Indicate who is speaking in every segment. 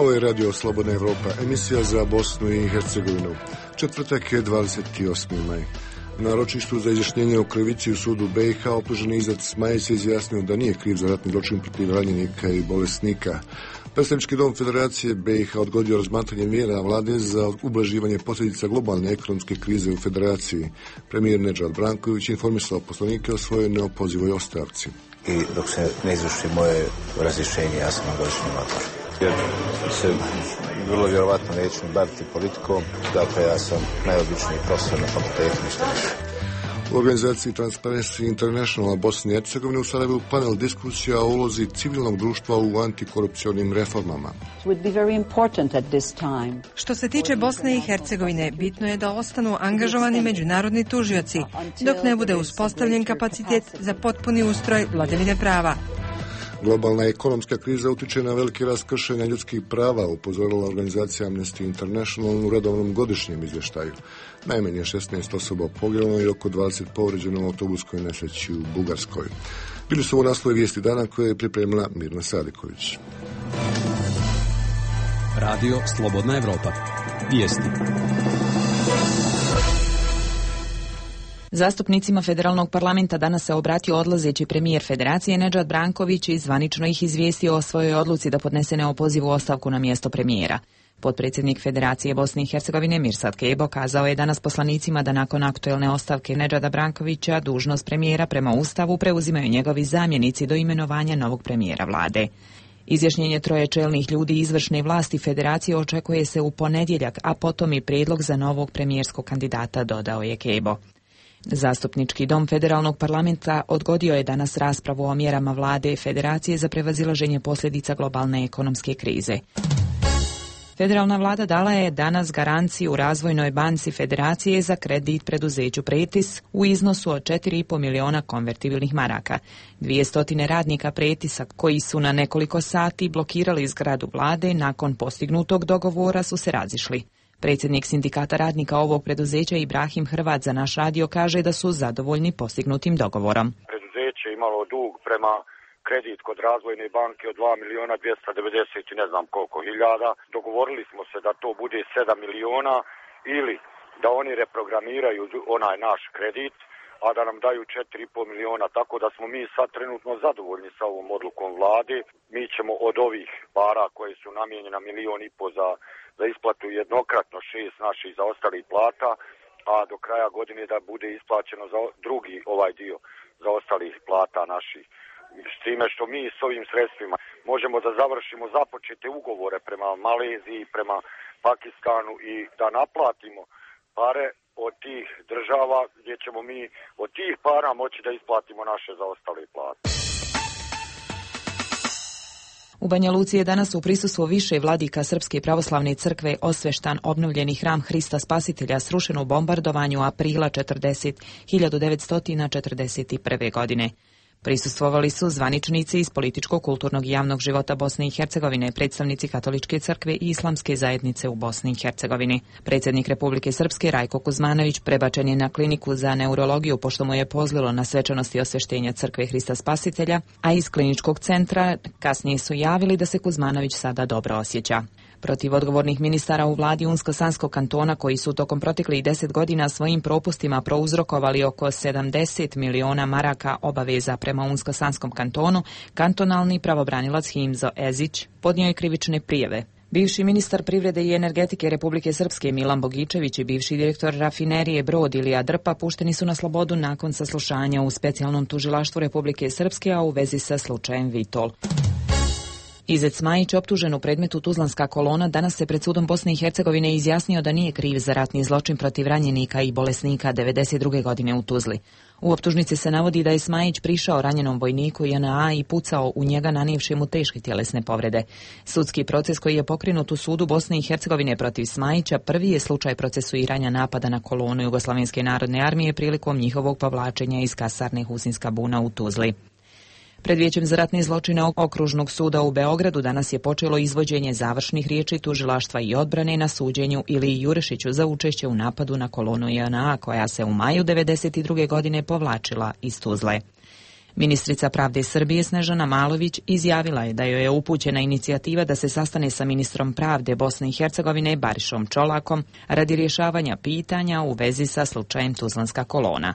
Speaker 1: Ovo je Radio Slobodna Evropa, emisija za Bosnu i Hercegovinu. Četvrtak je 28. maj. Na ročištu za izjašnjenje o krivici u sudu BiH optuženi Izet Smajić se izjasnio da nije kriv za ratni zločin protiv ranjenika i bolesnika. Predstavnički dom Federacije BiH odgodio razmatranje mjera vlade za ublaživanje posljedica globalne ekonomske krize u Federaciji. Premijer Nedžad Branković informisao poslanike o svojoj neopozivoj ostavci.
Speaker 2: I dok se ne izvrši moje razrješenje, ja sam na godišnjem odmoru. Jer se vrlo vjerovatno neću baviti politikom, dakle ja sam najobičniji profesor na fakultetu, ništa više.
Speaker 1: U organizaciji Transparency International Bosne i Hercegovine u Sarajevu panel diskusija o ulozi civilnog društva u antikorupcionim reformama.
Speaker 3: Što se tiče Bosne i Hercegovine, bitno je da ostanu angažovani međunarodni tužioci, dok ne bude uspostavljen kapacitet za potpuni ustroj vladavine prava.
Speaker 1: Globalna ekonomska kriza utiče na veliki rast kršenja ljudskih prava, upozorila organizacija Amnesty International u redovnom godišnjem izvještaju. Najmanje 16 osoba poginulo i oko 20 povređeno u autobuskoj nesreći u Bugarskoj. Bili su ovo naslovi vijesti dana koje je pripremila Mirna Sadiković.
Speaker 4: Radio Slobodna Evropa. Vijesti.
Speaker 5: Zastupnicima federalnog parlamenta danas se obratio odlazeći premijer Federacije Nedžad Branković i zvanično ih izvijestio o svojoj odluci da podnese neopozivu ostavku na mjesto premijera. Potpredsjednik Federacije Bosne i Hercegovine Mirsad Kebo kazao je danas poslanicima da nakon aktuelne ostavke Nedžada Brankovića dužnost premijera prema Ustavu preuzimaju njegovi zamjenici do imenovanja novog premijera vlade. Izjašnjenje troje čelnih ljudi izvršne vlasti Federacije očekuje se u ponedjeljak, a potom i prijedlog za novog premijerskog kandidata, dodao je Kebo. Zastupnički dom federalnog parlamenta odgodio je danas raspravu o mjerama vlade Federacije za prevazilaženje posljedica globalne ekonomske krize. Federalna vlada dala je danas garanciju Razvojnoj banci Federacije za kredit preduzeću Pretis u iznosu od 4,5 miliona konvertibilnih maraka. 200 radnika Pretisa koji su na nekoliko sati blokirali zgradu vlade nakon postignutog dogovora su se razišli. Predsjednik sindikata radnika ovog preduzeća Ibrahim Hrvat za naš radio kaže da su zadovoljni postignutim dogovorom.
Speaker 6: Preduzeće imalo dug prema kredit kod Razvojne banke od 2 miliona 290 i ne znam koliko hiljada. Dogovorili smo se da to bude 7 miliona ili da oni reprogramiraju onaj naš kredit, a da nam daju 4,5 miliona, tako da smo mi sad trenutno zadovoljni sa ovom odlukom vlade. Mi ćemo od ovih para koje su namijenjena 1,5 miliona za isplatu jednokratno 6 naših zaostalih plata, a do kraja godine da bude isplaćeno za drugi ovaj dio zaostalih plata naših. S time što mi s ovim sredstvima možemo da završimo započete ugovore prema Maleziji, prema Pakistanu i da naplatimo pare od tih država gdje ćemo mi od tih para moći da isplatimo naše zaostale plate.
Speaker 5: U Banja Luci je danas u prisustvu više vladika Srpske pravoslavne crkve osveštan obnovljeni hram Hrista Spasitelja srušen u bombardovanju aprila 1941. godine. Prisustvovali su zvaničnici iz političkog, kulturnog i javnog života Bosne i Hercegovine, predstavnici Katoličke crkve i Islamske zajednice u Bosni i Hercegovini. Predsjednik Republike Srpske Rajko Kuzmanović prebačen je na kliniku za neurologiju pošto mu je pozlilo na svečanosti osveštenja crkve Hrista Spasitelja, a iz kliničkog centra kasnije su javili da se Kuzmanović sada dobro osjeća. Protiv odgovornih ministara u vladi Unsko-Sanskog kantona koji su tokom proteklih 10 godina svojim propustima prouzrokovali oko 70 miliona maraka obaveza prema Unsko-Sanskom kantonu, kantonalni pravobranilac Himzo Ezić podnio je krivične prijave. Bivši ministar privrede i energetike Republike Srpske Milan Bogičević i bivši direktor rafinerije Brod Ilija Drpa pušteni su na slobodu nakon saslušanja u specijalnom tužilaštvu Republike Srpske, a u vezi sa slučajem Vitol. Izet Smajić, optužen u predmetu Tuzlanska kolona, danas se pred sudom Bosne i Hercegovine izjasnio da nije kriv za ratni zločin protiv ranjenika i bolesnika 1992. godine u Tuzli. U optužnici se navodi da je Smajić prišao ranjenom vojniku JNA i pucao u njega nanijevši mu teške tjelesne povrede. Sudski proces koji je pokrenut u sudu Bosne i Hercegovine protiv Smajića prvi je slučaj procesuiranja napada na kolonu Jugoslavenske narodne armije prilikom njihovog povlačenja iz kasarne Husinska buna u Tuzli. Pred Vijećem za ratne zločine Okružnog suda u Beogradu danas je počelo izvođenje završnih riječi tužilaštva i odbrane na suđenju Iliji Jurešiću za učešće u napadu na kolonu JNA koja se u maju 1992. godine povlačila iz Tuzle. Ministrica pravde Srbije Snežana Malović izjavila je da joj je upućena inicijativa da se sastane sa ministrom pravde Bosne i Hercegovine Barišom Čolakom radi rješavanja pitanja u vezi sa slučajem Tuzlanska kolona.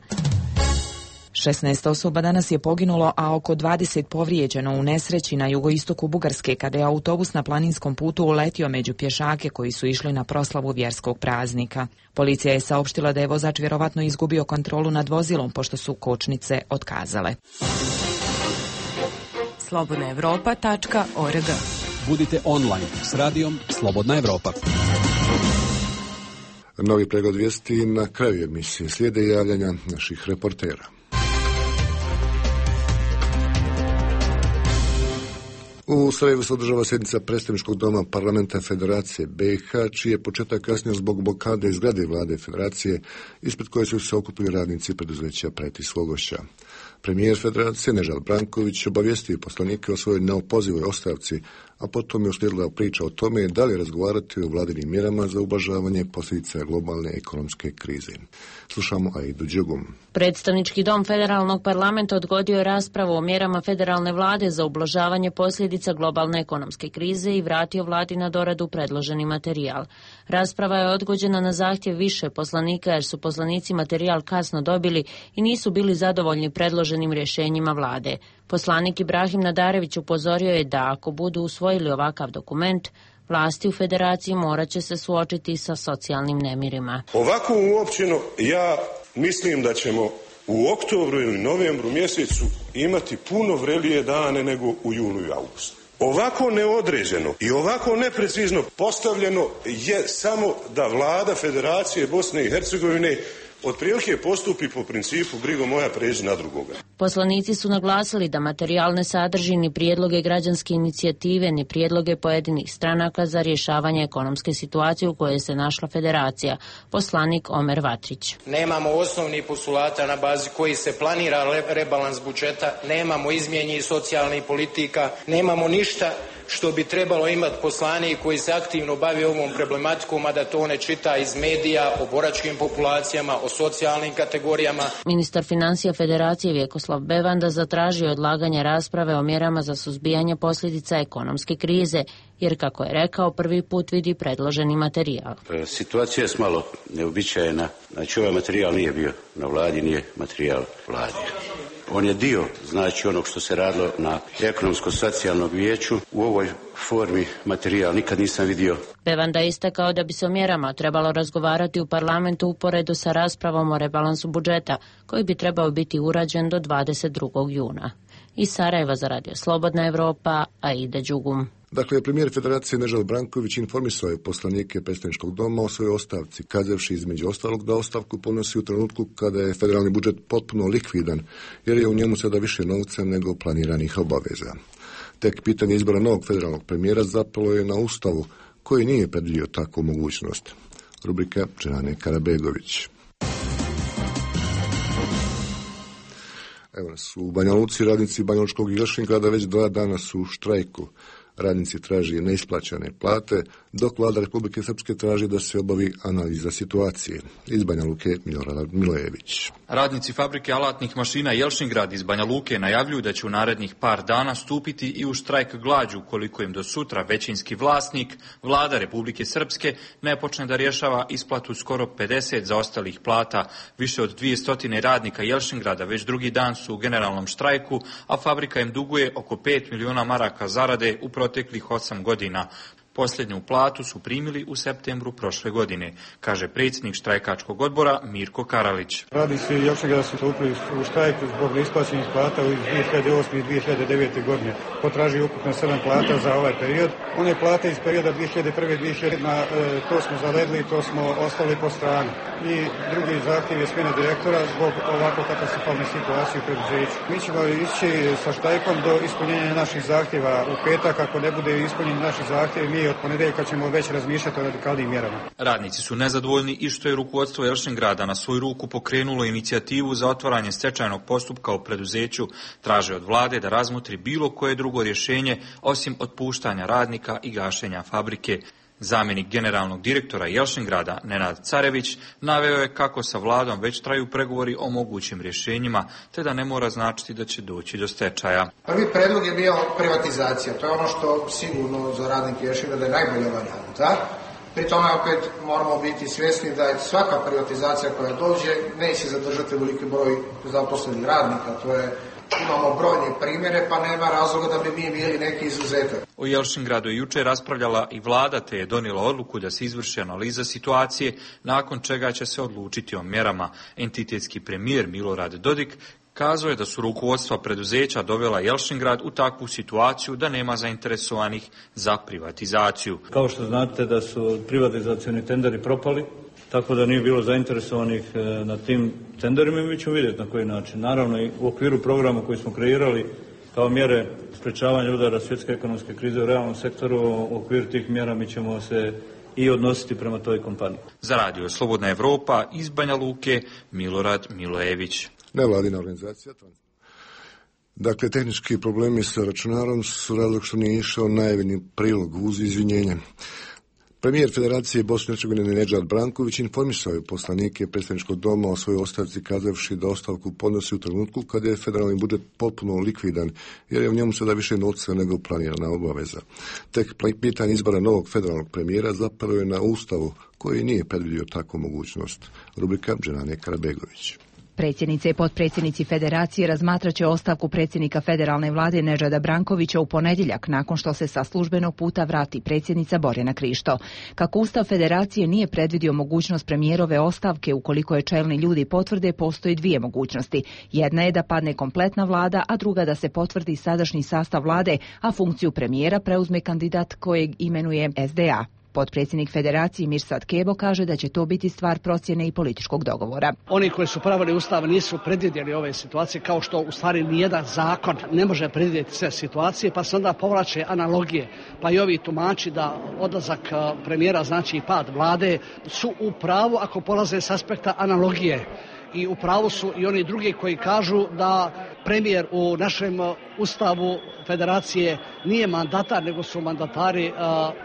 Speaker 5: 16 osoba danas je poginulo, a oko 20 povrijeđeno u nesreći na jugoistoku Bugarske kada je autobus na planinskom putu uletio među pješake koji su išli na proslavu vjerskog praznika. Policija je saopštila da je vozač vjerovatno izgubio kontrolu nad vozilom pošto su kočnice otkazale.
Speaker 3: slobodnaevropa.org.
Speaker 4: Budite online s radijom Slobodna Evropa.
Speaker 1: Novi pregled vijesti na kraju emisije. Slijede javljanja naših reportera. U Sarajevu se održava sjednica predstavničkog doma parlamenta Federacije BiH, čiji je početak kasnio zbog blokade iz zgrade vlade Federacije, ispred koje su se okupili radnici preduzeća Pret i Slogošća. Premijer Federacije Nežal Branković obavijestio poslanike o svojoj neopozivoj ostavci, a potom je uslijedila priča o tome da li razgovarati o vladinim mjerama za ublažavanje posljedica globalne ekonomske krize. Slušamo Aidu Đugum.
Speaker 7: Predstavnički dom Federalnog parlamenta odgodio je raspravu o mjerama federalne vlade za ublažavanje posljedica globalne ekonomske krize i vratio vladi na doradu predloženi materijal. Rasprava je odgođena na zahtjev više poslanika jer su poslanici materijal kasno dobili i nisu bili zadovoljni predloženim rješenjima vlade. Poslanik Ibrahim Nadarević upozorio je da ako budu usvojili ovakav dokument, vlasti u Federaciji morat će se suočiti sa socijalnim nemirima.
Speaker 8: Ovako uopćeno ja mislim da ćemo u oktobru ili novembru mjesecu imati puno vrelije dane nego u julu i augustu. Ovako neodređeno i ovako neprecizno postavljeno je samo da vlada Federacije Bosne i Hercegovine otprilike postupi po principu brigo moja pređi na drugoga.
Speaker 7: Poslanici su naglasili da materijal ne sadrži ni prijedloge građanske inicijative, ni prijedloge pojedinih stranaka za rješavanje ekonomske situacije u kojoj se našla Federacija. Poslanik Omer Vatrić.
Speaker 9: Nemamo osnovnih postulata na bazi koji se planira rebalans budžeta, nemamo izmijenjenih socijalnih politika, nemamo ništa što bi trebalo imati poslanik koji se aktivno bavi ovom problematikom, a da to ne čita iz medija o boračkim populacijama, o socijalnim kategorijama.
Speaker 7: Ministar financija Federacije Vjekoslav Bevanda zatražio odlaganje rasprave o mjerama za suzbijanje posljedica ekonomske krize, jer kako je rekao, prvi put vidi predloženi materijal.
Speaker 10: Situacija je malo neobičajena. Znači ovaj materijal nije bio na vladi, nije materijal vladi. On je dio, znači, onog što se radilo na ekonomsko-socijalnom vijeću. U ovoj formi materijal nikad nisam vidio.
Speaker 7: Bevanda je istakao da bi se o mjerama trebalo razgovarati u parlamentu uporedo sa raspravom o rebalansu budžeta, koji bi trebao biti urađen do 22. juna. Iz Sarajeva za Radio Slobodna Evropa, Aida Đugum.
Speaker 1: Dakle, premijer Federacije Nežal Branković informisao je poslanike predstavničkog doma o svojoj ostavci, kazavši između ostalog da ostavku podnosi u trenutku kada je federalni budžet potpuno likvidan, jer je u njemu sada više novca nego planiranih obaveza. Tek pitanje izbora novog federalnog premijera zapalo je na Ustavu, koji nije predvidio takvu mogućnost. Rubrika Dženane Karabegović. Evo nas u Banja Luci, radnici Banjalučkog i Jelšingrada već 2 dana su u štrajku. Radnici traži neisplaćene plate, dok vlada Republike Srpske traži da se obavi analiza situacije. Iz Banja Luke Milorad Milojević.
Speaker 11: Radnici fabrike alatnih mašina Jelšingrad iz Banja Luke najavljuju da će u narednih par dana stupiti i u štrajk glađu ukoliko im do sutra većinski vlasnik, vlada Republike Srpske, ne počne da rješava isplatu skoro 50 zaostalih plata. Više od 200 radnika Jelšingrada već drugi dan su u generalnom štrajku, a fabrika im duguje oko 5 miliona maraka zarade u proteklih 8 godina. Posljednju platu su primili u septembru prošle godine, kaže predsjednik štrajkačkog odbora Mirko Karalić.
Speaker 12: Radnici Jelšingrada su stupili u štrajk zbog neisplaćenih plata u 2008. i 2009. godine. Potražuju ukupno 7 plata za ovaj period. One plate iz perioda 2001. To smo zaledili, to smo ostali po strani. I drugi zahtjev je smjena direktora zbog ovako katastrofalne situacije u preduzeću. Mi ćemo ići sa štrajkom do ispunjenja naših zahtjeva u petak. Ako ne bude ispunjeni naši zahtjevi, mi od ponedjeljka ćemo već razmišljati o radikalnim mjerama.
Speaker 11: Radnici su nezadovoljni i što je rukovodstvo Jelšingrada na svoju ruku pokrenulo inicijativu za otvaranje stečajnog postupka u preduzeću. Traže od vlade da razmotri bilo koje drugo rješenje osim otpuštanja radnika i gašenja fabrike. Zamjenik generalnog direktora Jelšingrada Nenad Carević naveo je kako sa vladom već traju pregovori o mogućim rješenjima, te da ne mora značiti da će doći do stečaja.
Speaker 13: Prvi predlog je bio privatizacija. To je ono što sigurno za radnike Jelšingrada je najbolja varijanta. Pri tome opet moramo biti svjesni da je svaka privatizacija koja dođe neće zadržati veliki broj zaposlenih radnika. Imamo brojne primjere, pa nema razloga da bi mi bili neki izuzetak.
Speaker 11: O Jelšingradu je jučer raspravljala i vlada, te je donijela odluku da se izvrši analiza situacije, nakon čega će se odlučiti o mjerama. Entitetski premijer Milorad Dodik kazao je da su rukovodstva preduzeća dovela Jelšingrad u takvu situaciju da nema zainteresovanih za privatizaciju.
Speaker 14: Kao što znate da su privatizacioni tenderi propali, tako da nije bilo zainteresovanih na tim tenderima i mi ćemo vidjeti na koji način. Naravno i u okviru programa koji smo kreirali kao mjere sprečavanja udara svjetske ekonomske krize u realnom sektoru, u okviru tih mjera mi ćemo se i odnositi prema toj kompaniji.
Speaker 11: Za radio Slobodna Evropa iz Banja Luke, Milorad Milojević.
Speaker 1: Nevladina organizacija. Dakle, tehnički problemi sa računarom su razlog što nije išao najavljeni prilog uz izvinjenje. Premijer Federacije Bosne i Hercegovine Nedžad Branković informisao je poslanike predstavničkog doma o svojoj ostavci, kazavši da ostavku podnosi u trenutku kada je federalni budžet potpuno likvidan, jer je u njemu sada više novca nego planirana obaveza. Tek pitanje izbora novog federalnog premijera zapravo je na Ustavu, koji nije predvidio takvu mogućnost. Rubrika Dženane Karabegović.
Speaker 15: Predsjednice i potpredsjednici Federacije razmatraće ostavku predsjednika federalne vlade Nedžada Brankovića u ponedjeljak, nakon što se sa službenog puta vrati predsjednica Borjana Krišto. Kako Ustav Federacije nije predvidio mogućnost premijerove ostavke, ukoliko je čelni ljudi potvrde, postoji dvije mogućnosti. Jedna je da padne kompletna vlada, a druga da se potvrdi sadašnji sastav vlade, a funkciju premijera preuzme kandidat kojeg imenuje SDA. Potpredsjednik Federacije Mirsad Kebo kaže da će to biti stvar procjene i političkog dogovora.
Speaker 16: Oni koji su pravili Ustav nisu predvidjeli ove situacije, kao što u stvari nijedan zakon ne može predvidjeti sve situacije, pa se onda povlače analogije. Pa i ovi tumači da odlazak premijera znači i pad vlade su u pravu ako polaze s aspekta analogije. I u pravu su i oni drugi koji kažu da premijer u našem Ustavu Federacije nije mandatar, nego su mandatari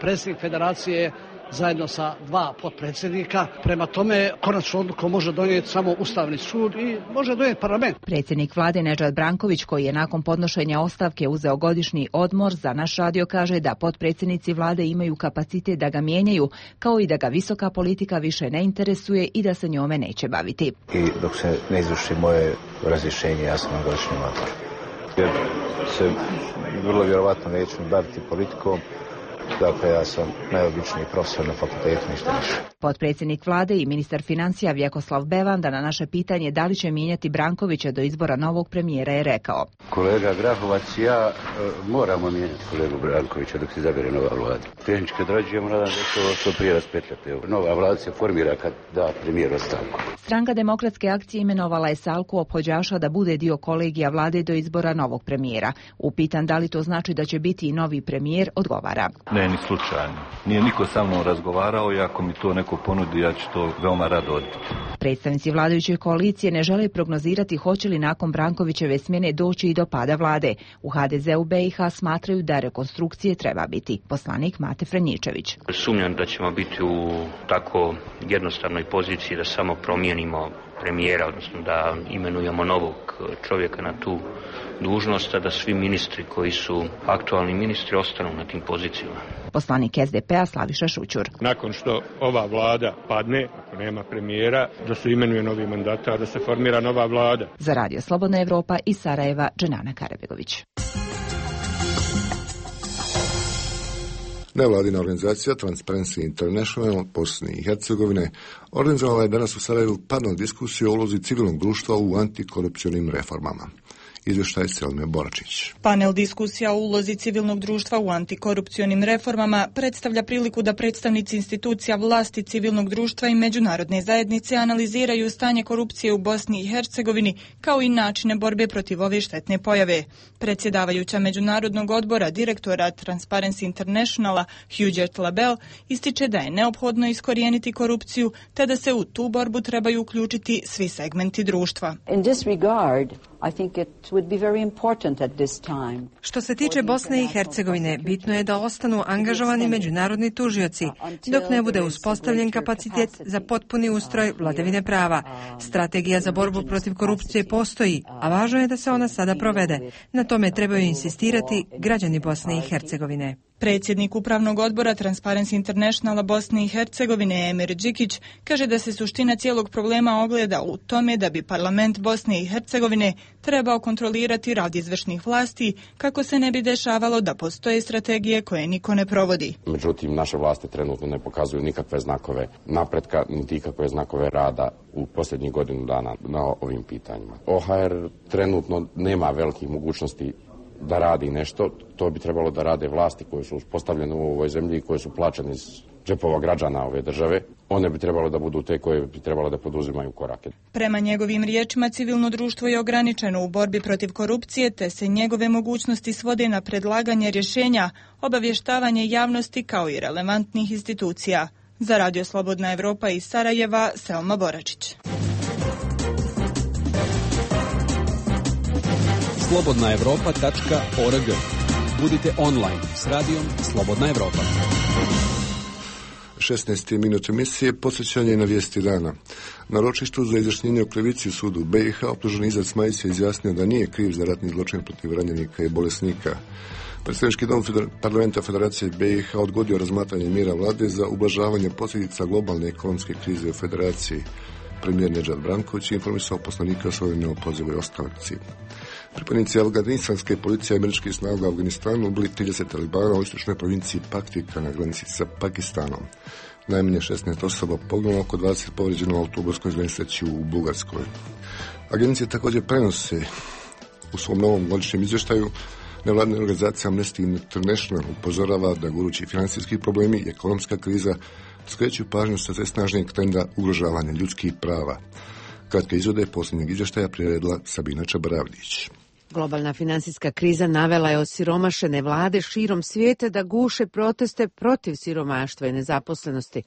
Speaker 16: predsjednik Federacije zajedno sa dva potpredsjednika. Prema tome, konačnu odluku može donijeti samo Ustavni sud i može donijeti parlament.
Speaker 15: Predsjednik vlade Nedžad Branković, koji je nakon podnošenja ostavke uzeo godišnji odmor, za naš radio kaže da potpredsjednici vlade imaju kapacitet da ga mijenjaju, kao i da ga visoka politika više ne interesuje i da se njome neće baviti.
Speaker 2: I dok se ne izvrši moje razrješenje, ja sam na godišnjem odmoru. Jer se vrlo vjerovatno neću baviti politikom. Dakle, ja sam najobičniji profesor na fakultetu, ništa više.
Speaker 15: Potpredsjednik vlade i ministar financija Vjekoslav Bevanda na naše pitanje da li će mijenjati Brankovića do izbora novog premijera je rekao:
Speaker 10: Kolega Grahovac, ja moramo mijenjati kolegu Brankovića dok se izabere nova vlada. Tehnički odrađujemo, nadam se da što prije raspetljate. Nova vlada se formira kad da premijer ostavku.
Speaker 15: Stranka Demokratske akcije imenovala je Salku Ophođaša da bude dio kolegija vlade do izbora novog premijera. Upitan da li to znači da će biti i novi premijer, odgovara:
Speaker 17: Ne, ni slučajno. Nije niko sa mnom razgovarao i ako mi to neko ponudi, ja ću to veoma rado odbiti.
Speaker 15: Predstavnici vladajuće koalicije ne žele prognozirati hoće li nakon Brankovićeve smjene doći i do pada vlade. U HDZ-u BiH smatraju da rekonstrukcije treba biti. Poslanik Mate Franjičević.
Speaker 18: Sumnjam da ćemo biti u tako jednostavnoj poziciji da samo promijenimo premijera, odnosno da imenujemo novog čovjeka na tu dužnost, a da svi ministri koji su aktualni ministri ostanu na tim pozicijama.
Speaker 15: Poslanik SDP-a Slaviša Šućur.
Speaker 19: Nakon što ova vlada padne, ako nema premijera, da se imenuje novi mandatar, da se formira nova vlada.
Speaker 15: Za radio Slobodna Evropa iz Sarajeva, Dženana Karabegović.
Speaker 1: Nevladina organizacija Transparency International Bosne i Hercegovine organizovala je danas u Sarajevu panel diskusiju o ulozi civilnog društva u antikorupcionim reformama. Izvještaj Selme Boračić.
Speaker 20: Panel diskusija o ulozi civilnog društva u antikorupcionim reformama predstavlja priliku da predstavnici institucija vlasti, civilnog društva i međunarodne zajednice analiziraju stanje korupcije u Bosni i Hercegovini kao i načine borbe protiv ove štetne pojave. Predsjedavajuća Međunarodnog odbora direktora Transparency Internationala Huguette Labelle ističe da je neophodno iskorijeniti korupciju te da se u tu borbu trebaju uključiti svi segmenti društva.
Speaker 21: In this regard, I think it
Speaker 3: Što se tiče Bosne i Hercegovine, bitno je da ostanu angažovani međunarodni tužioci, dok ne bude uspostavljen kapacitet za potpuni ustroj vladavine prava. Strategija za borbu protiv korupcije postoji, a važno je da se ona sada provede. Na tome trebaju insistirati građani Bosne i Hercegovine.
Speaker 20: Predsjednik Upravnog odbora Transparency Internationala Bosne i Hercegovine Emir Đikić kaže da se suština cijelog problema ogleda u tome da bi parlament Bosne i Hercegovine trebao kontrolirati rad izvršnih vlasti kako se ne bi dešavalo da postoje strategije koje niko ne provodi.
Speaker 21: Međutim, naše vlasti trenutno ne pokazuju nikakve znakove napretka, niti ikakve znakove rada u posljednjih godinu dana na ovim pitanjima. OHR trenutno nema velikih mogućnosti da radi nešto, to bi trebalo da rade vlasti koje su uspostavljene u ovoj zemlji i koje su plaćene iz džepova građana ove države. One bi trebalo da budu te koje bi trebalo da poduzimaju korake.
Speaker 20: Prema njegovim riječima, civilno društvo je ograničeno u borbi protiv korupcije, te se njegove mogućnosti svode na predlaganje rješenja, obavještavanje javnosti kao i relevantnih institucija. Za Radio Slobodna Evropa iz Sarajeva, Selma Boračić.
Speaker 4: slobodnaevropa.org. Budite online s radijom Slobodna Evropa.
Speaker 1: 16. minut emisije, podsjećanje na vijesti dana. Na ročištu za izjašnjenje o krivici u sudu BiH optuženi Izad Smajić se izjasnio da nije kriv za ratni zločin protiv ranjenika i bolesnika. Predstavnički dom parlamenta Federacije BiH odgodio razmatranje mjera vlade za ublažavanje posljedica globalne ekonomske krize u Federaciji. Premijer Nedžad Branković je informisao poslanika Slovenije o pozivu i ostavci. Pripadnici afganistanske policije i američkih snaga u Afganistanu ubili 30 talibana u istočnoj provinciji Paktika na granici sa Pakistanom. Najmanje 16 osoba poginulo, oko 20 povrijeđeno u autobuskoj nesreći u Bugarskoj. Agencije također prenose u svom novom godišnjem izvještaju. Nevladina organizacija Amnesty International upozorava da gorući financijski problemi i ekonomska kriza skreću pažnju sa sve snažnijeg trenda ugrožavanja ljudskih prava. Kratke izvode posljednjeg izvještaja priredila Sabina Čabaravljić.
Speaker 22: Globalna financijska kriza navela je osiromašene vlade širom svijeta da guše proteste protiv siromaštva i nezaposlenosti.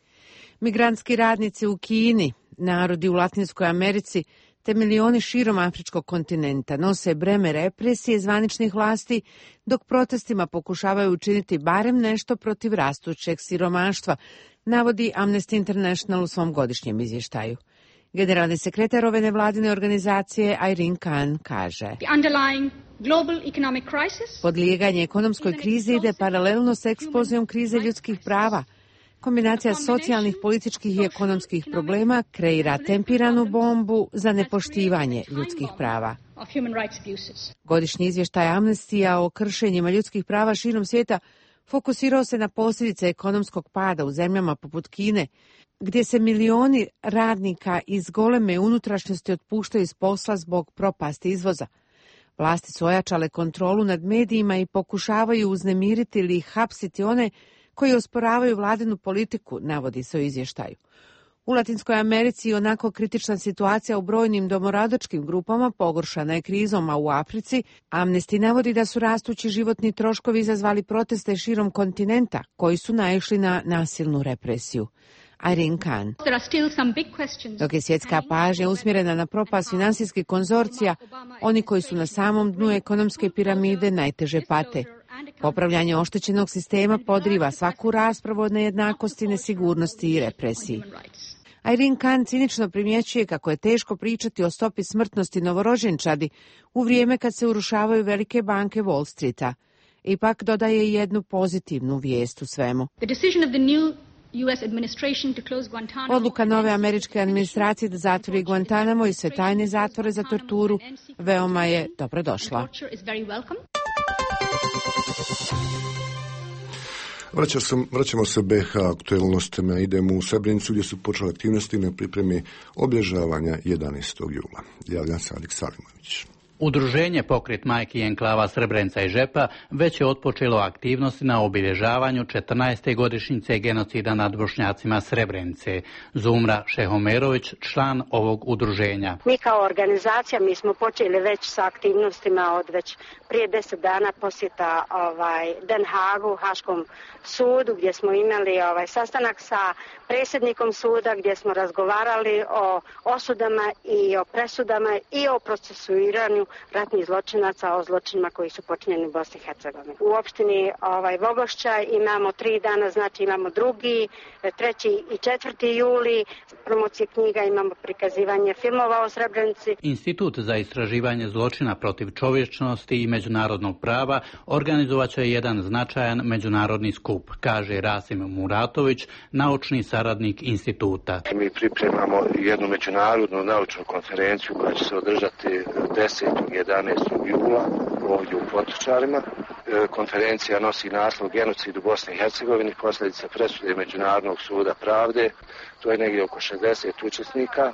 Speaker 22: Migrantski radnici u Kini, narodi u Latinskoj Americi te milioni širom afričkog kontinenta nose breme represije zvaničnih vlasti, dok protestima pokušavaju učiniti barem nešto protiv rastućeg siromaštva, navodi Amnesty International u svom godišnjem izvještaju. Generalni sekretar ove nevladine organizacije Irene Khan kaže: podlijeganje ekonomskoj krizi ide paralelno s eksplozijom krize ljudskih prava. Kombinacija socijalnih, političkih i ekonomskih problema kreira tempiranu bombu za nepoštivanje ljudskih prava. Godišnji izvještaj Amnestija o kršenjima ljudskih prava širom svijeta fokusirao se na posljedice ekonomskog pada u zemljama poput Kine, gdje se milioni radnika iz goleme unutrašnjosti otpuštaju iz posla zbog propasti izvoza. Vlasti su ojačale kontrolu nad medijima i pokušavaju uznemiriti ili hapsiti one koji osporavaju vladinu politiku, navodi se u izvještaju. U Latinskoj Americi onako kritična situacija u brojnim domorodačkim grupama pogoršana je krizom, a u Africi Amnesty navodi da su rastući životni troškovi izazvali proteste širom kontinenta koji su naišli na nasilnu represiju. Irene Khan. Dok je svjetska pažnja usmjerena na propast finansijskih konzorcija, oni koji su na samom dnu ekonomske piramide najteže pate. Popravljanje oštećenog sistema podriva svaku raspravu o nejednakosti, nesigurnosti i represiji. Irene Khan cinično primjećuje kako je teško pričati o stopi smrtnosti novorođenčadi u vrijeme kad se urušavaju velike banke Wall Streeta. Ipak dodaje jednu pozitivnu vijest u svemu. Odluka nove američke administracije da zatvori Guantanamo i sve tajne zatvore za torturu veoma je dobrodošla.
Speaker 1: Vraćamo se BiH aktualnostima, idemo u Srebrenicu gdje su počele aktivnosti na pripremi obilježavanja 11. jula. Javlja se Alik Salimović.
Speaker 23: Udruženje Pokret majki i enklava Srebrenica i Žepa već je otpočelo aktivnosti na obilježavanju 14. godišnjice genocida nad Bošnjacima Srebrenice. Zumra Šehomerović, član ovog udruženja.
Speaker 24: Mi kao organizacija mi smo počeli već sa aktivnostima od već prije 10 dana posjeta Den Haagu, Haškom sudu, gdje smo imali sastanak sa predsjednikom suda gdje smo razgovarali o osudama i o presudama i o procesuiranju ratnih zločinaca o zločinima koji su počinjeni u Bosni i Hercegovini. U opštini Vogošća imamo 3 dana, znači imamo 2., 3. i 4. juli, promocije knjiga, imamo prikazivanje filmova o Srebrenici.
Speaker 23: Institut za istraživanje zločina protiv čovječnosti i međunarodnog prava organizovat će jedan značajan međunarodni skup, kaže Rasim Muratović, naučni saradnik instituta.
Speaker 5: Mi pripremamo jednu međunarodnu naučnu konferenciju koja će se održati 10. i 11. jula ovdje u Potočarima. Konferencija nosi naslov Genocid u Bosni i Hercegovini, posljedice presude Međunarodnog suda pravde. To je negdje oko 60 učesnika,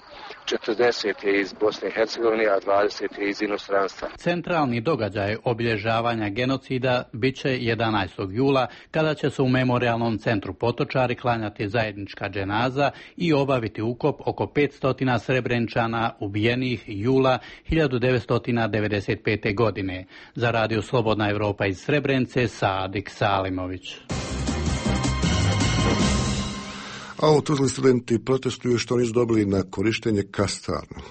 Speaker 5: 40 je iz Bosne i Hercegovine, a 20 je iz inostranstva.
Speaker 23: Centralni događaj obilježavanja genocida bit će 11. jula, kada će se u Memorijalnom centru Potočari klanjati zajednička dženaza i obaviti ukop oko 500 Srebrenčana ubijenih jula 1995. godine. Za Radio Slobodna Evropa iz Srebrenice, Sadik Salimović.
Speaker 1: A u Tuzli studenti protestuju što nisu dobili na korištenje kastarnu.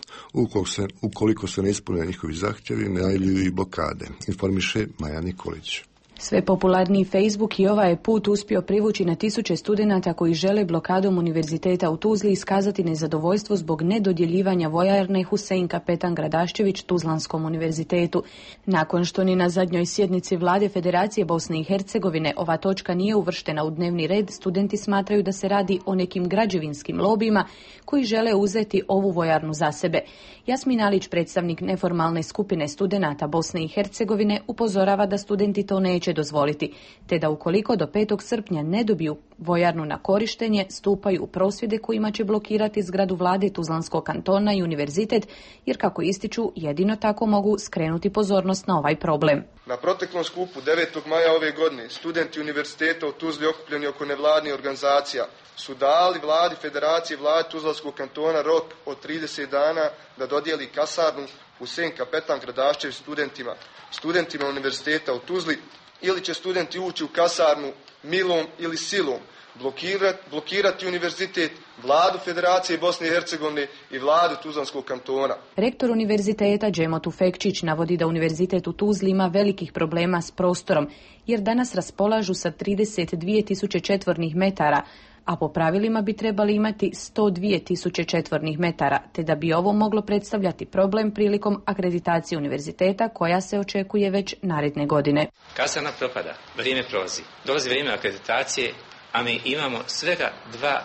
Speaker 1: Ukoliko se ne ispune njihovi zahtjevi, najavljuju i blokade, informiše Maja Nikolić.
Speaker 6: Sve popularniji Facebook i ovaj je put uspio privući na tisuće studenata koji žele blokadom Univerziteta u Tuzli iskazati nezadovoljstvo zbog nedodjeljivanja vojarne Husein Kapetan Gradaščević Tuzlanskom univerzitetu. Nakon što ni na zadnjoj sjednici Vlade Federacije Bosne i Hercegovine ova točka nije uvrštena u dnevni red, studenti smatraju da se radi o nekim građevinskim lobijima koji žele uzeti ovu vojarnu za sebe. Jasmin Alić, predstavnik neformalne skupine studenata Bosne i Hercegovine, upozorava da studenti to neće dozvoliti, te da ukoliko do 5. srpnja ne dobiju vojarnu na korištenje, stupaju u prosvjede kojima će blokirati zgradu vlade Tuzlanskog kantona i univerzitet, jer kako ističu, jedino tako mogu skrenuti pozornost na ovaj problem.
Speaker 8: Na proteklom skupu 9. maja ove godine studenti univerziteta u Tuzli okupljeni oko nevladnih organizacija su dali vladi Federacije vlade Tuzlanskog kantona rok od 30 dana da dodijeli kasarnu Husein Kapetan Gradaščević studentima univerziteta u Tuzli, ili će studenti ući u kasarnu milom ili silom, blokirati univerzitet, vladu Federacije Bosne i Hercegovine i vladu Tuzlanskog kantona.
Speaker 6: Rektor univerziteta Džemo Tufekčić navodi da univerzitet u Tuzli ima velikih problema s prostorom, jer danas raspolažu sa 32.000 četvornih metara, a po pravilima bi trebali imati 102.000 četvornih metara, te da bi ovo moglo predstavljati problem prilikom akreditacije univerziteta koja se očekuje već naredne godine.
Speaker 9: Kasarna propada, vrijeme prolazi, dolazi vrijeme akreditacije, a mi imamo svega 2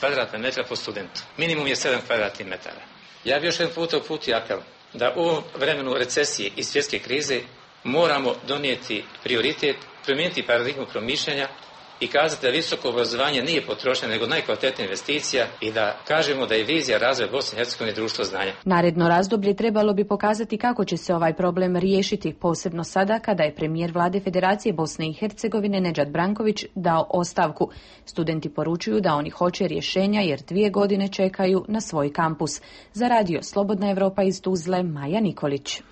Speaker 9: kvadratna metra po studentu. Minimum je 7 kvadratnih metara. Ja bih još jedan puta uputio apel da u ovom vremenu recesije i svjetske krize moramo donijeti prioritet, promijeniti paradigmu promišljanja i kazati da visoko obrazovanje nije potrošnja nego najkvalitetnija investicija i da kažemo da je vizija razvoja Bosne i Hercegovine društvo znanja.
Speaker 6: Naredno razdoblje trebalo bi pokazati kako će se ovaj problem riješiti, posebno sada kada je premijer vlade Federacije Bosne i Hercegovine Nedžad Branković dao ostavku. Studenti poručuju da oni hoće rješenja jer 2 godine čekaju na svoj kampus. Za Radio Slobodna Evropa iz Tuzle, Maja Nikolić.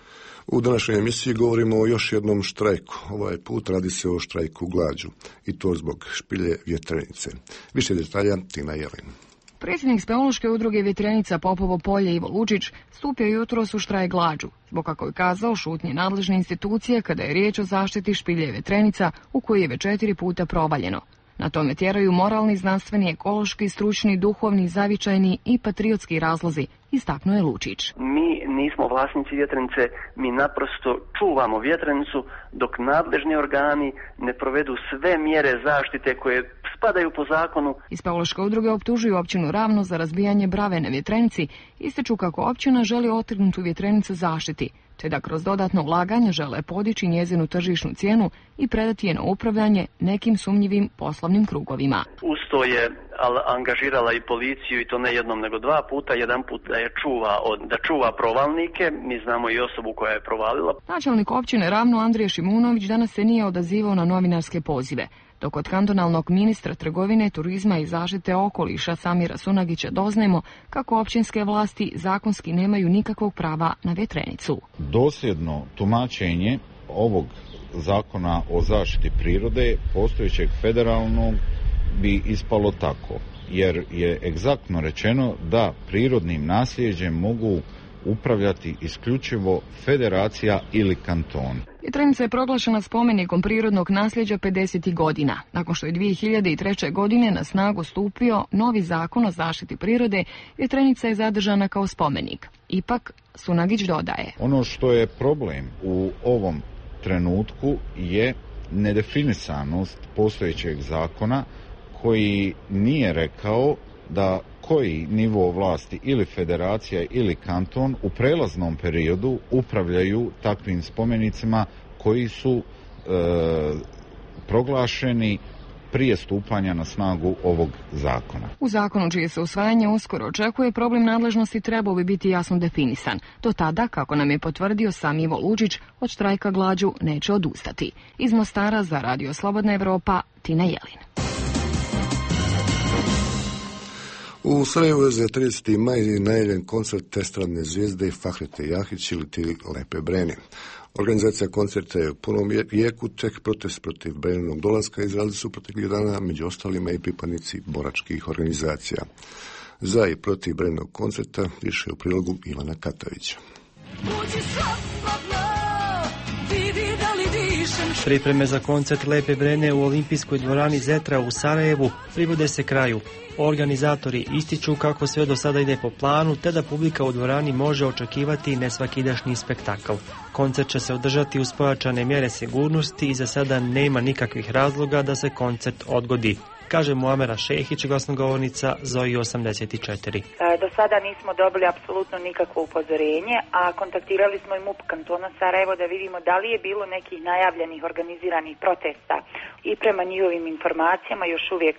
Speaker 1: U današnjoj emisiji govorimo o još jednom štrajku. Ovaj put radi se o štrajku glađu i to zbog špilje Vjetrenice. Više detalja Tina Jelin.
Speaker 25: Predsjednik Speološke udruge Vjetrenica Popovo polje Ivo Lučić stupio jutros u štrajk glađu, zbog kako je kazao šutnje nadležne institucije kada je riječ o zaštiti špilje Vjetrenica u kojoj je već 4 puta provaljeno. Na tome tjeraju moralni, znanstveni, ekološki, stručni, duhovni, zavičajni i patriotski razlozi, istaknuo je Lučić.
Speaker 26: Mi nismo vlasnici Vjetrenice, mi naprosto čuvamo Vjetrenicu dok nadležni organi ne provedu sve mjere zaštite koje spadaju po zakonu.
Speaker 25: Iz Speološke udruge optužuju općinu Ravno za razbijanje brave na Vjetrenici, ističu kako općina želi otrgnutu Vjetrenicu zaštiti, te da kroz dodatno ulaganje žele podići njezinu tržišnu cijenu i predati je na upravljanje nekim sumnjivim poslovnim krugovima.
Speaker 26: Uz to je angažirala i policiju i to ne jednom nego 2 puta, jedan put da čuva provalnike, mi znamo i osobu koja je provalila.
Speaker 25: Načelnik općine Ravno Andrija Šimunović danas se nije odazivao na novinarske pozive, dok od kantonalnog ministra trgovine, turizma i zaštite okoliša Samira Sunagića doznajemo kako općinske vlasti zakonski nemaju nikakvog prava na Vjetrenicu.
Speaker 27: Dosljedno tumačenje ovog zakona o zaštiti prirode postojećeg federalnog bi ispalo tako, jer je egzaktno rečeno da prirodnim nasljeđem mogu upravljati isključivo federacija ili kanton.
Speaker 25: Vjetrenica je proglašena spomenikom prirodnog nasljeđa 50. godina. Nakon što je 2003. godine na snagu stupio novi zakon o zaštiti prirode, Vjetrenica je zadržana kao spomenik. Ipak, Sunagić dodaje.
Speaker 27: Ono što je problem u ovom trenutku je nedefinisanost postojećeg zakona koji nije rekao da koji nivo vlasti ili federacija ili kanton u prelaznom periodu upravljaju takvim spomenicima koji su proglašeni prije stupanja na snagu ovog zakona.
Speaker 25: U zakonu čije se usvajanje uskoro očekuje, problem nadležnosti trebao bi biti jasno definisan. Do tada, kako nam je potvrdio sam Ivo Lučić, od štrajka glađu neće odustati. Iz Mostara za Radio Slobodna Evropa, Tina Jelin.
Speaker 1: U Sarajevu je za 30. maj najavljen koncert estradne zvijezde Fahrete Jahić ili ti Lepe Brene. Organizacija koncerta je u punom jeku, tek protest protiv Breninog dolaska izrazili su proteklih dana, među ostalima i pripadnici boračkih organizacija. Za i protiv Breninog koncerta više u prilogu Ivana Katavića.
Speaker 2: Pripreme za koncert Lepe Brene u olimpijskoj dvorani Zetra u Sarajevu privode se kraju. Organizatori ističu kako sve do sada ide po planu, te da publika u dvorani može očekivati nesvakidašnji spektakl. Koncert će se održati uz pojačane mjere sigurnosti i za sada nema nikakvih razloga da se koncert odgodi, kaže Muamera Šehić, glasnogovornica Zoji 84.
Speaker 7: Do sada nismo dobili apsolutno nikakvo upozorenje, a kontaktirali smo i MUP kantona Sarajevo da vidimo da li je bilo nekih najavljenih organiziranih protesta i prema njihovim informacijama još uvijek,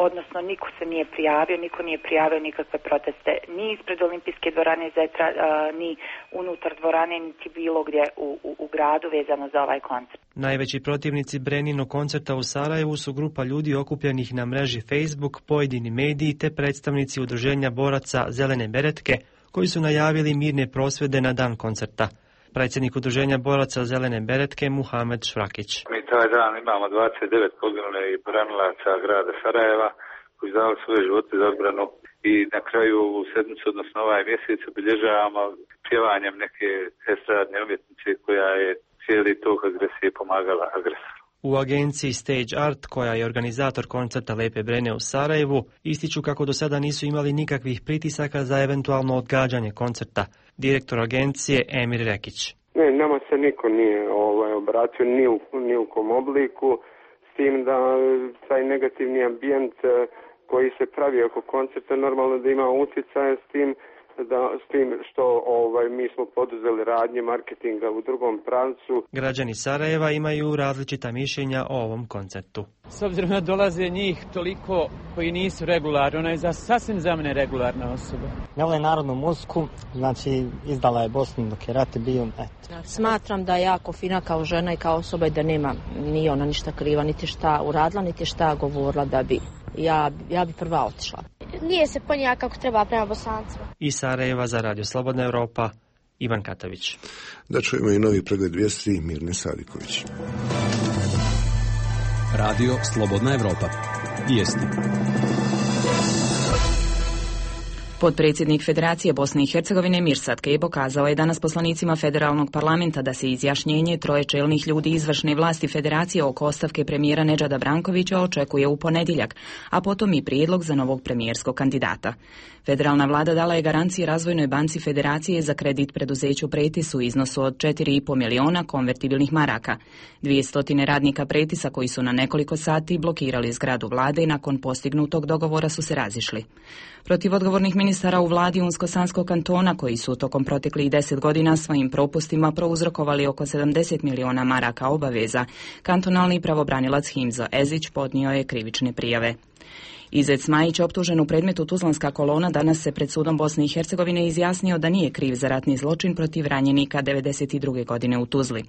Speaker 7: odnosno niko se nije prijavio, niko nije prijavio nikakve proteste ni ispred olimpijske dvorane Zetra, ni unutar dvorane, niti bilo gdje u gradu vezano za ovaj koncert.
Speaker 2: Najveći protivnici Breninog koncerta u Sarajevu su grupa ljudi okupljenih na mreži Facebook, pojedini mediji te predstavnici udruženja boraca Zelene beretke koji su najavili mirne prosvjede na dan koncerta. Predsjednik udruženja boraca Zelene beretke Muhamed Švrakić.
Speaker 11: Mi taj dan imamo 29 poginulih branilaca grada Sarajeva koji dali svoje živote za odbranu i na kraju ovu sedmicu, odnosno ovaj mjesec, obilježavamo pjevanjem neke estradne umjetnice koja je cijeli tok agresije pomagala agresoru.
Speaker 2: U agenciji Stage Art, koja je organizator koncerta Lepe Brene u Sarajevu, ističu kako do sada nisu imali nikakvih pritisaka za eventualno odgađanje koncerta. Direktor agencije Emir Rekić.
Speaker 12: Ne, nama se niko nije obratio ni u kom obliku, s tim da taj negativni ambijent koji se pravi oko koncerta normalno da ima utjecaje s tim što mi smo poduzeli radnje marketinga u drugom pravcu.
Speaker 2: Građani Sarajeva imaju različita mišljenja o ovom koncertu.
Speaker 13: S obzirom da dolaze njih toliko koji nisu regularni, ona je sasvim za mene regularna osoba.
Speaker 14: Ne vole narodnu muziku, znači izdala je Bosnu dok je rat bio.
Speaker 16: Smatram da je jako fina kao žena i kao osoba i da nema ni ona ništa kriva, niti šta uradila, niti šta govorila da bi. Ja bi prva otišla.
Speaker 28: Nije se ponija kako treba prema Bosancima.
Speaker 2: Iz Sarajeva za Radio Slobodna Evropa, Ivan Katavić.
Speaker 1: Da čujemo i novi pregled vijesti Mirne Sadiković.
Speaker 4: Radio Slobodna Evropa. Vijesti.
Speaker 6: Potpredsjednik Federacije Bosne i Hercegovine Mirsad Kebo kazao je danas poslanicima federalnog parlamenta da se izjašnjenje troje čelnih ljudi izvršne vlasti Federacije oko ostavke premijera Nedžada Brankovića očekuje u ponedjeljak, a potom i prijedlog za novog premijerskog kandidata. Federalna vlada dala je garancije Razvojnoj banci Federacije za kredit preduzeću Pretis u iznosu od 4,5 miliona konvertibilnih maraka. 200 radnika Pretisa koji su na nekoliko sati blokirali zgradu vlade i nakon postignutog dogovora su se razišli. Protiv odgovornih ministara u vladi Unsko-Sanskog kantona koji su tokom proteklih 10 godina svojim propustima prouzrokovali oko 70 miliona maraka obaveza, kantonalni pravobranilac Himzo Ezić podnio je krivične prijave. Izet Majić, optužen u predmetu Tuzlanska kolona, danas se pred sudom Bosne i Hercegovine izjasnio da nije kriv za ratni zločin protiv ranjenika 92. godine u Tuzli.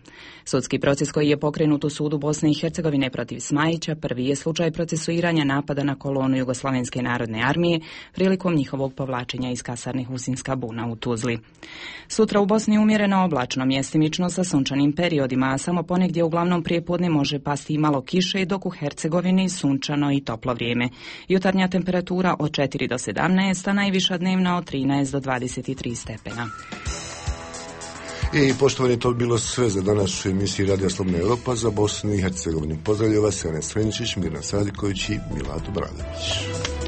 Speaker 6: Sudski proces koji je pokrenut u sudu Bosne i Hercegovine protiv Smajića prvi je slučaj procesuiranja napada na kolonu Jugoslavenske narodne armije prilikom njihovog povlačenja iz kasarne Husinska buna u Tuzli. Sutra u Bosni umjereno oblačno, mjestimično sa sunčanim periodima, a samo ponegdje uglavnom prijepodne može pasti i malo kiše, dok u Hercegovini sunčano i toplo vrijeme.
Speaker 3: Jutarnja temperatura od 4 do 17, a najviša dnevna od 13 do 23 stepena.
Speaker 1: I poštovani, to bilo sve za danas u emisiji Radija Slobodna Europa za Bosnu i Hercegovinu. Pozdravljaju vas Ivana Sreničić, Mirna Sadiković i Milato Bradović.